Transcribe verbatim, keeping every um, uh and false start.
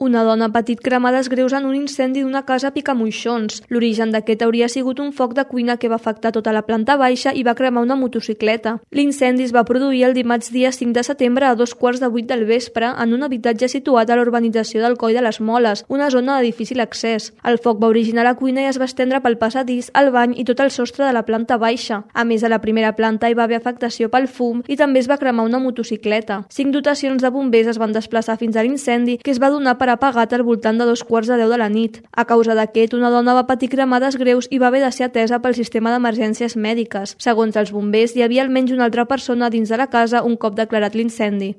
Una dona ha patit cremades greus en un incendi d'una casa a Picamoixons. L'origen d'aquest hauria sigut un foc de cuina que va afectar tota la planta baixa i va cremar una motocicleta. L'incendi es va produir el dimarts dia cinc de setembre a dos quarts de vuit del vespre en un habitatge situat a la urbanització del Coll de les Moles, una zona de difícil accés. El foc va originar a la cuina i es va estendre pel passadís, el bany i tot el sostre de la planta baixa. A més, a la primera planta hi va haver afectació pel fum i també es va cremar una motocicleta. Cinc dotacions de bombers es van desplaçar fins a l'incendi, que es va donar per apagat al voltant de dos quarts de deu de la nit. A causa d'aquest, una dona va patir cremades greus i va haver de ser atesa pel sistema d'emergències mèdiques. Segons els bombers, hi havia almenys una altra persona dins de la casa un cop declarat l'incendi.